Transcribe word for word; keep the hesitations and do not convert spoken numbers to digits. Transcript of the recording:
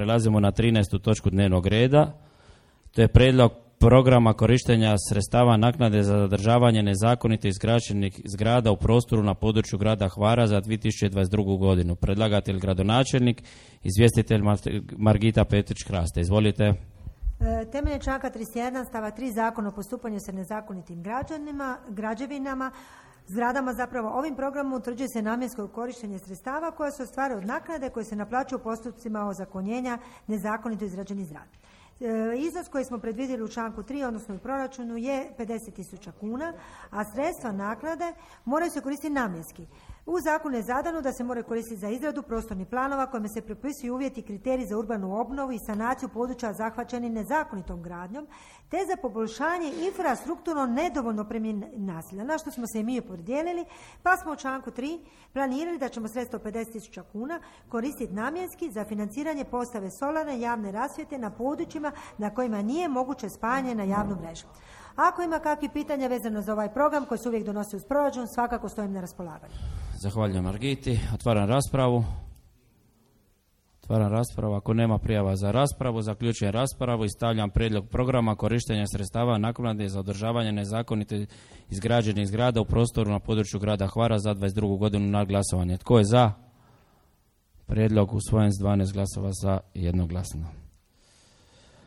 Prelazimo na trinaestu točku dnevnog reda. To je prijedlog programa korištenja sredstava naknade za zadržavanje nezakonito izgrađenih zgrada u prostoru na području grada Hvara za dvije tisuće dvadeset drugu godinu. Predlagatelj gradonačelnik, izvjestitelj Margita Petrić-Kraste. Izvolite. Temeljem članka trideset jedan stava tri Zakona o postupanju sa nezakonitim građanima, građevinama, zgradama zapravo ovim programom utvrđuje se namjensko korištenje sredstava koja se ostvaruje od naknade koje se naplaćuju u postupcima ozakonjenja nezakonito izgrađenih zgrada. E, iznos koji smo predvidjeli u članku tri, odnosno u proračunu, je pedeset tisuća kuna, a sredstva naknade moraju se koristiti namjenski. U zakonu je zadano da se moraju koristiti za izradu prostornih planova kojima se propisuju uvjeti i kriteriji za urbanu obnovu i sanaciju područja zahvaćenih nezakonitom gradnjom, te za poboljšanje infrastrukturno nedovoljno opremljenih naselja, na što smo se i mi opredijelili, pa smo u članku tri planirali da ćemo sredstva pedeset tisuća kuna koristiti namjenski za financiranje postave solarne javne rasvjete na područjima na kojima nije moguće spajanje na javnu mrežu. Ako ima kakvih pitanja vezano za ovaj program koji se uvijek donosi uz proračun, svakako stojim na raspolaganju. Zahvaljujem Margiti. Otvaram raspravu. Otvaram raspravu. Ako nema prijava za raspravu, zaključujem raspravu i stavljam prijedlog programa korištenja sredstava naknade za održavanje nezakonito izgrađenih zgrada u prostoru na području grada Hvara za dvadeset drugu godinu na glasovanje. Tko je za? Prijedlog usvojen s dvanaest glasova za, jednoglasno.